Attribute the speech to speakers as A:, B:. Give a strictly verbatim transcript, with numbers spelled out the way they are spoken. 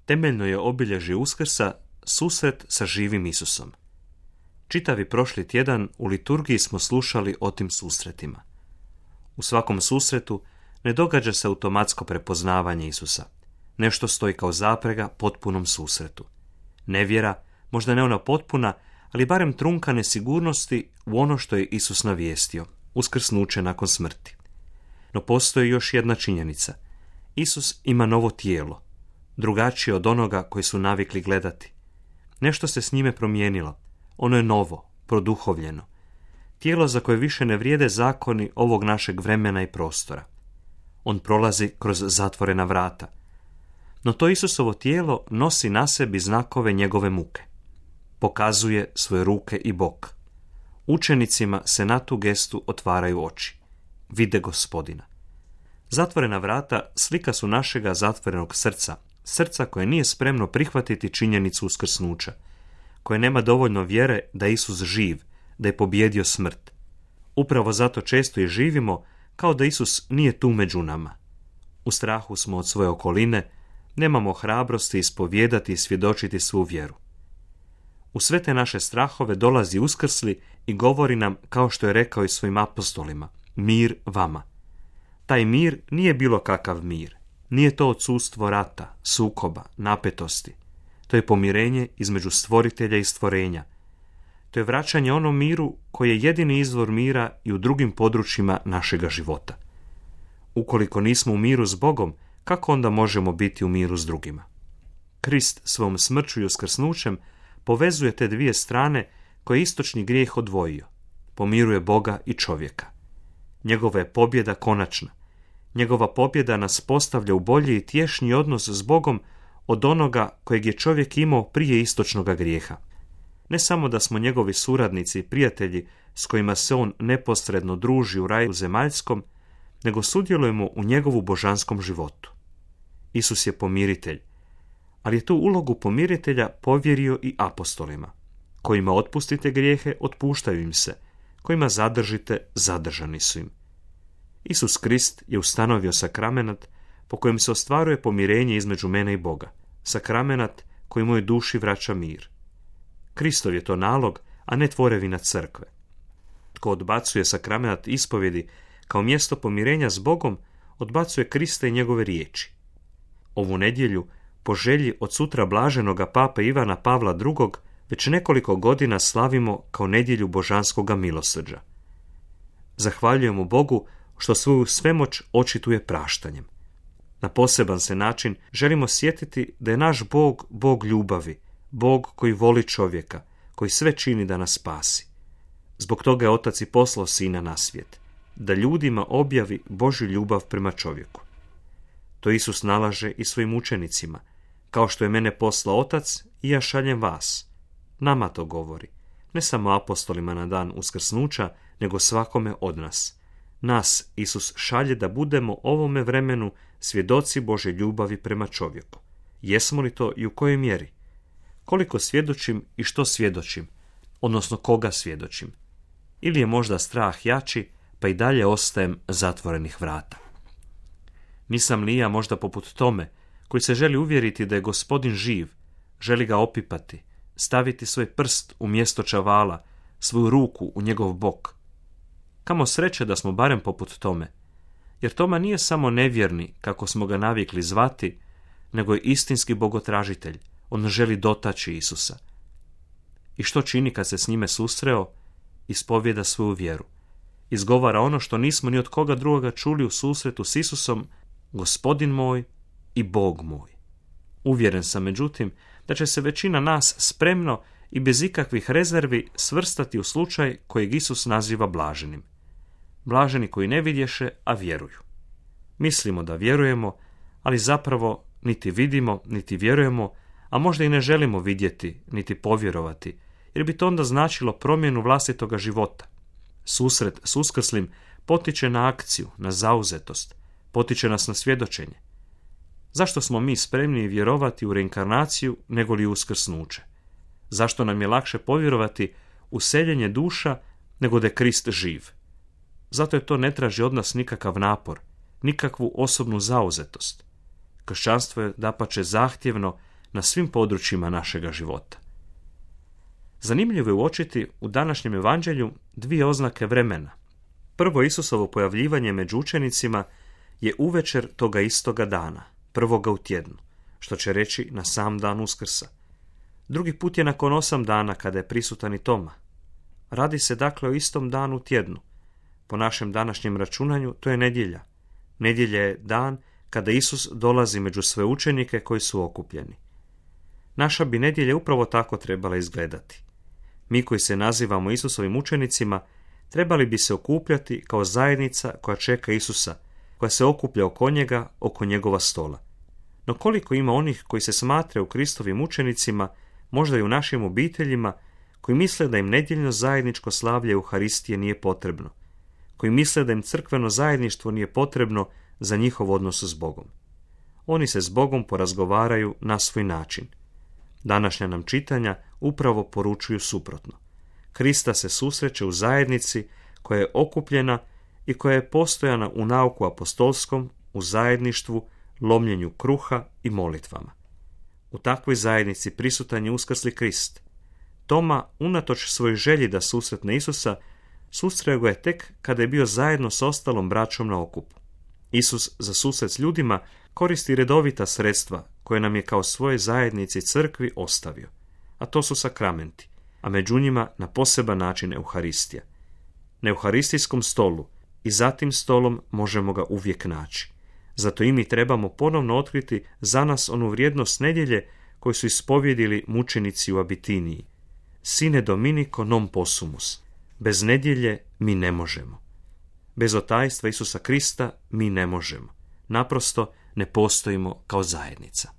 A: Temeljno je obilježje Uskrsa susret sa živim Isusom. Čitavi prošli tjedan u liturgiji smo slušali o tim susretima. U svakom susretu ne događa se automatsko prepoznavanje Isusa. Nešto stoji kao zaprega potpunom susretu. Nevjera, možda ne ona potpuna, ali barem trunka nesigurnosti u ono što je Isus navijestio, uskrsnuće nakon smrti. No postoji još jedna činjenica. Isus ima novo tijelo, drugačije od onoga koji su navikli gledati. Nešto se s njime promijenilo. Ono je novo, produhovljeno. Tijelo za koje više ne vrijede zakoni ovog našeg vremena i prostora. On prolazi kroz zatvorena vrata. No to Isusovo tijelo nosi na sebi znakove njegove muke. Pokazuje svoje ruke i bok. Učenicima se na tu gestu otvaraju oči. Vide Gospodina. Zatvorena vrata slika su našega zatvorenog srca, srca koje nije spremno prihvatiti činjenicu uskrsnuća, koje nema dovoljno vjere da je Isus živ, da je pobijedio smrt. Upravo zato često i živimo kao da Isus nije tu među nama. U strahu smo od svoje okoline, nemamo hrabrosti ispovijedati i svjedočiti svu vjeru. U sve te naše strahove dolazi Uskrsli i govori nam, kao što je rekao i svojim apostolima, mir vama. Taj mir nije bilo kakav mir. Nije to odsustvo rata, sukoba, napetosti. To je pomirenje između stvoritelja i stvorenja. To je vraćanje onom miru koji je jedini izvor mira i u drugim područjima našega života. Ukoliko nismo u miru s Bogom, kako onda možemo biti u miru s drugima? Krist svom smrću i uskrsnućem povezuje te dvije strane koje je istočni grijeh odvojio. Pomiruje Boga i čovjeka. Njegova je pobjeda konačna. Njegova pobjeda nas postavlja u bolji i tješnji odnos s Bogom od onoga kojeg je čovjek imao prije istočnoga grijeha. Ne samo da smo njegovi suradnici i prijatelji s kojima se on neposredno druži u raju zemaljskom, nego sudjelujemo u njegovu božanskom životu. Isus je pomiritelj, ali je tu ulogu pomiritelja povjerio i apostolima. Kojima otpustite grijehe, otpuštaju im se. Kojima zadržite, zadržani su im. Isus Krist je ustanovio sakramenat po kojem se ostvaruje pomirenje između mene i Boga. Sakramenat koji mojoj duši vraća mir. Kristov je to nalog, a ne tvorevina crkve. Tko odbacuje sakramenat ispovjedi kao mjesto pomirenja s Bogom, odbacuje Krista i njegove riječi. Ovu nedjelju, po želji od sutra blaženoga pape Ivana Pavla drugog, već nekoliko godina slavimo kao nedjelju božanskoga milosrđa. Zahvaljujemo Bogu što svoju svemoć očituje praštanjem. Na poseban se način želimo sjetiti da je naš Bog Bog ljubavi, Bog koji voli čovjeka, koji sve čini da nas spasi. Zbog toga je Otac i poslao Sina na svijet, da ljudima objavi Božju ljubav prema čovjeku. To Isus nalaže i svojim učenicima, kao što je mene poslao Otac i ja šaljem vas. Nama to govori, ne samo apostolima na dan uskrsnuća, nego svakome od nas. Nas Isus šalje da budemo ovome vremenu svjedoci Božje ljubavi prema čovjeku. Jesmo li to i u kojoj mjeri? Koliko svjedočim i što svjedočim, odnosno koga svjedočim? Ili je možda strah jači, pa i dalje ostajem zatvorenih vrata? Nisam li ja možda poput tome, koji se želi uvjeriti da je Gospodin živ, želi ga opipati, staviti svoj prst u mjesto čavala, svoju ruku u njegov bok? Kamo sreće da smo barem poput tome, jer Toma nije samo nevjerni, kako smo ga navikli zvati, nego je istinski bogotražitelj. On želi dotaći Isusa. I što čini kad se s njime susreo? Ispovjeda svoju vjeru. Izgovara ono što nismo ni od koga drugoga čuli u susretu s Isusom, Gospodin moj i Bog moj. Uvjeren sam, međutim, da će se većina nas spremno i bez ikakvih rezervi svrstati u slučaj kojeg Isus naziva blaženim. Blaženi koji ne vidješe, a vjeruju. Mislimo da vjerujemo, ali zapravo niti vidimo, niti vjerujemo, a možda i ne želimo vidjeti, niti povjerovati, jer bi to onda značilo promjenu vlastitoga života. Susret s Uskrslim potiče na akciju, na zauzetost, potiče nas na svjedočenje. Zašto smo mi spremni vjerovati u reinkarnaciju nego li u uskrsnuće? Zašto nam je lakše povjerovati u seljenje duša nego da je Krist živ? Zato je to ne traži od nas nikakav napor, nikakvu osobnu zauzetost. Kršćanstvo je dapače zahtjevno, na svim područjima našega života. Zanimljivo je uočiti u današnjem evanđelju dvije oznake vremena. Prvo Isusovo pojavljivanje među učenicima je uvečer toga istoga dana, prvoga u tjednu, što će reći na sam dan Uskrsa. Drugi put je nakon osam dana kada je prisutan i Toma. Radi se dakle o istom danu u tjednu. Po našem današnjem računanju to je nedjelja. Nedjelja je dan kada Isus dolazi među sve učenike koji su okupljeni. Naša bi nedjelja upravo tako trebala izgledati. Mi koji se nazivamo Isusovim učenicima trebali bi se okupljati kao zajednica koja čeka Isusa, koja se okuplja oko njega, oko njegova stola. No koliko ima onih koji se smatraju Kristovim učenicima, možda i u našim obiteljima, koji misle da im nedjeljno zajedničko slavlje Euharistije nije potrebno, koji misle da im crkveno zajedništvo nije potrebno za njihov odnos s Bogom. Oni se s Bogom porazgovaraju na svoj način. Današnja nam čitanja upravo poručuju suprotno. Krista se susreće u zajednici koja je okupljena i koja je postojana u nauku apostolskom, u zajedništvu, lomljenju kruha i molitvama. U takvoj zajednici prisutan je uskrsli Krist. Toma, unatoč svojoj želji da susretne Isusa, susreo ga je tek kada je bio zajedno s ostalom braćom na okupu. Isus za susret s ljudima koristi redovita sredstva koje nam je kao svoje zajednici crkvi ostavio, a to su sakramenti, a među njima na poseban način Euharistija. Na euharistijskom stolu i za tim stolom možemo ga uvijek naći. Zato i mi trebamo ponovno otkriti za nas onu vrijednost nedjelje koju su ispovjedili mučenici u Abitiniji. Sine Dominico non possumus. Bez nedjelje mi ne možemo. Bez otajstva Isusa Krista mi ne možemo. Naprosto ne postojimo kao zajednica.